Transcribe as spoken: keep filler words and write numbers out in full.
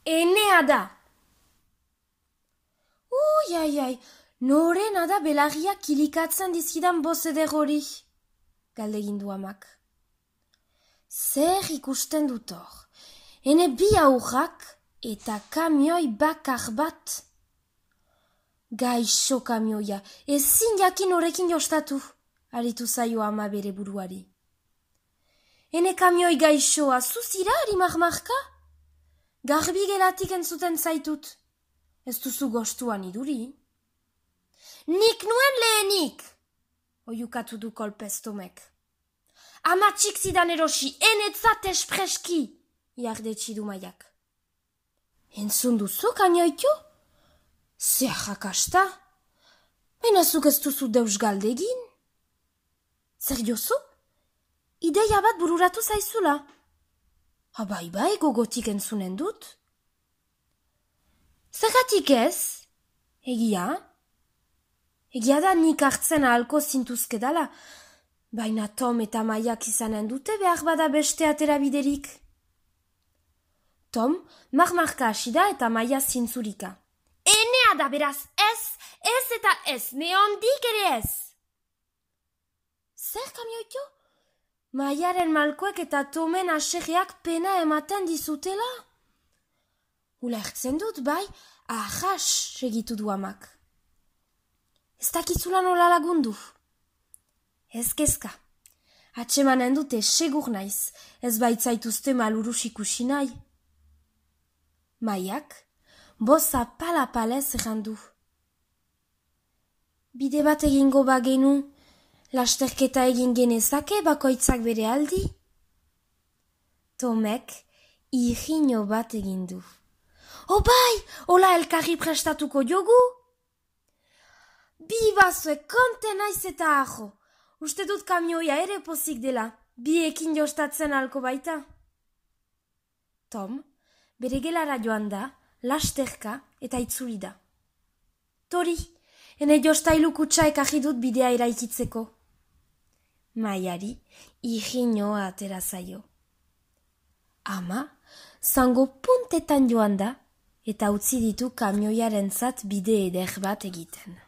enea da. Ui, ai, ai, norena da belarriak kilikatzen dizkidan bozeder hori, galdegin du amak. Zer ikusten dut hor, ene bi aurrak eta kamioi bakar bat. Gaixo kamioia, ezin jakin horrekin jostatu, aritu zaio ama bere buruari. Ene kamioi gaixoa, zuzira ari marmarka? Garbi gelatik entzuten zaitut. Ez duzu gostuan iduri? Nik nuen lehenik, oiukatu du kolpez Tomek. Amatxik zidan erosi, enetzat espreski, jardetsi du Maiak. Entzun duzu kamioitu? Zer jakasta? Benazuk ez duzu deus galdegin? Zer jozu? Ideia bat bururatu zaizula. Abai bai, gogotik entzunen dut. Zergatik ez? Egia? Egia da nik hartzen ahalko zintuzke dala, baina Tom eta Maiak izanen dute behar bada beste atera biderik. Tom marmarka hasi da eta Maia zintzurika. Enea da beraz ez, ez eta ez, neondik ere ez. Zer kamioitu? Maiaren malkoek eta Tomen aserreak pena ematen dizutela? Ulertzen dut, bai, ahas segitu du amak. Ez dakizula nola lagundu. Ez kezka. Atsemanen dute segur naiz, ez baitzaituzte malurus ikusi nahi. Maiak, boza pala-palez errandu. Bide bat egingo bagenu, lasterketa egin genezake bakoitzak bere aldi? Tomek irriño bat egin du. O bai, hola elkarri prestatuko jogu? Bi bazue konte naiz eta ajo. Uste dut kamioia ere pozik dela, biekin jostatzen halko baita. Tom, bere gelara joan da, lasterka eta itzuli da. Tori, ene jostailu kutsa ekarri dut bidea eraikitzeko. Maiari irriñoa atera zaio. Ama, zango puntetan joan da, eta utzi ditu kamioiarentzat bide eder bat egiten.